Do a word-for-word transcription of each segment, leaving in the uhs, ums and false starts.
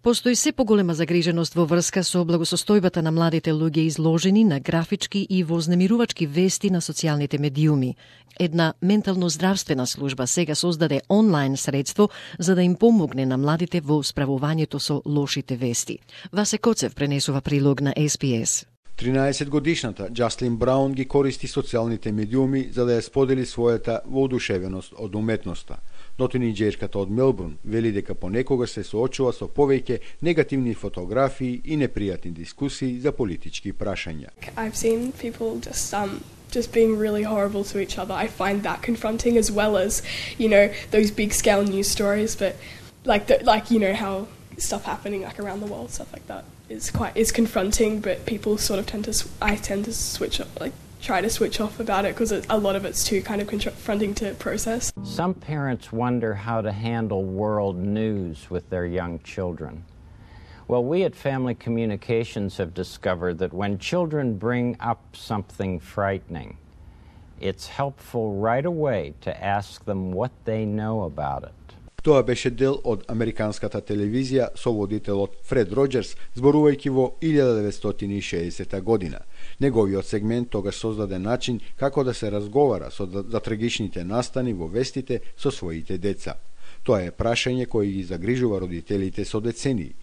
Постои се поголема загриженост во врска со благосостојбата на младите луѓе изложени на графички и вознемирувачки вести на социјалните медиуми. Една ментално здравствена служба сега создаде онлайн средство за да им помогне на младите во справувањето со лошите вести. Васе Коцев пренесува прилог на Ес Би Ес. тринаесетгодишната Џаслин Браун ги користи социјалните медиуми за да ја сподели својата воодушевеност од уметноста. Но тинејџерката од Мелбурн вели дека понекогаш се соочува со повеќе негативни фотографии и непријатни дискусии за политички прашања. I've seen people just um just being really horrible to each other. I find that confronting as well as, you know, those big scale news stories, but like the, like you know how stuff happening like around the world, stuff like that is quite is confronting, but people sort of tend to I tend to switch off, like try to switch off about it because a lot of it's too kind of confronting to process. Some parents wonder how to handle world news with their young children. Well, we at Family Communications have discovered that when children bring up something frightening, it's helpful right away to ask them what they know about it. Тоа беше дел од американската телевизија со водителот Фред Роџерс, зборувајќи во илјада деветстотини и шеесета година. Неговиот сегмент тогаш создаде начин како да се разговара со за трагичните настани во вестите со своите деца. Тоа е прашање кое ги загрижува родителите со децении.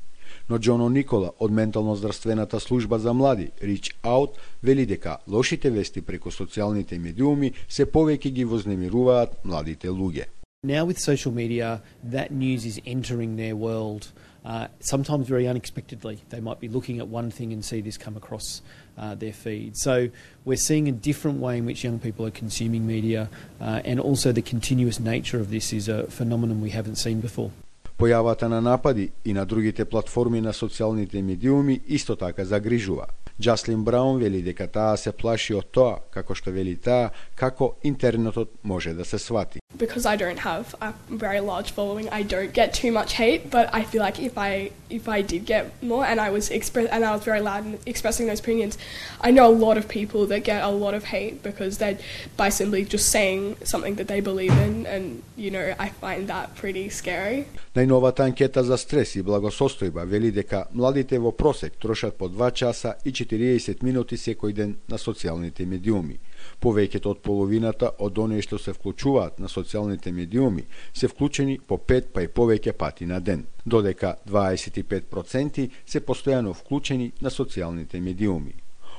Но Џоно Никола од ментално здравствената служба за млади Reach Out вели дека лошите вести преку социјалните медиуми се повеќе ги вознемируваат младите луѓе. Now with social media, that news is entering their world, uh, sometimes very unexpectedly. They might be looking at one thing and see this come across uh, their feed. So we're seeing a different way in which young people are consuming media, uh, and also the continuous nature of this is a phenomenon we haven't seen before. Појавата на напади и на другите платформи на социјалните медиуми исто така загрижува. Џаслин Браун вели дека таа се плаши од тоа, како што вели таа, како интернетот може да се свати. Because I don't have a very large following, I don't get too much hate, but I feel like if I if I did get more and I was express and I was very loud in expressing those opinions, I know a lot of people that get a lot of hate because they're by simply just saying something that they believe in, and you know, I find that pretty scary. Најновата анкета за стрес и благосостојба вели дека младите во просек трошат по два часа и четириесет минути секој ден на социјалните медиуми. Повеќето од половината од оние што се вклучуваат на социјалните медиуми се вклучени по пет па и повеќе пати на ден, додека дваесет и пет проценти се постојано вклучени на социјалните медиуми.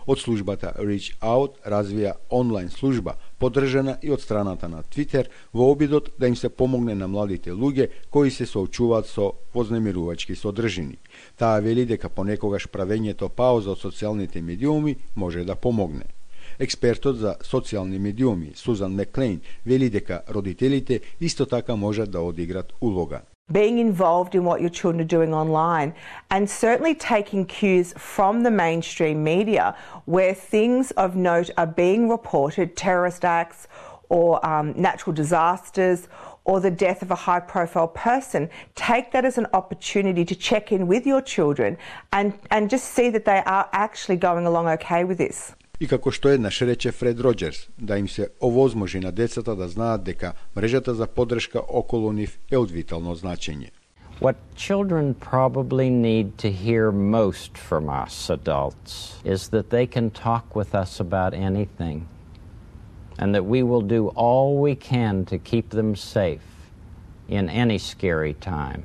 Од службата Reach Out развија онлайн служба, поддржана и од страната на Твитер, во обидот да им се помогне на младите луѓе кои се соочуваат со вознемирувачки содржини. Таа вели дека понекогаш правењето пауза од социјалните медиуми може да помогне. Експертот за социјални медиуми Сузан Маклейн вели дека родителите исто така можат да одиграт улога. Being involved in what your children are doing online, and certainly taking cues from the mainstream media where things of note are being reported, terrorist acts or um, natural disasters or the death of a high-profile person. Take that as an opportunity to check in with your children and, and just see that they are actually going along okay with this. И како што еднаш рече Фред Роџерс, да им се овозможи на децата да знаат дека мрежата за поддршка околу нив е од витално значење. What children probably need to hear most from us adults is that they can talk with us about anything, and that we will do all we can to keep them safe in any scary time.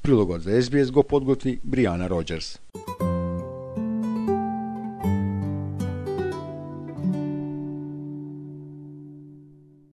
Прилогот за Ес Би Ес го подготви Бријана Роџерс.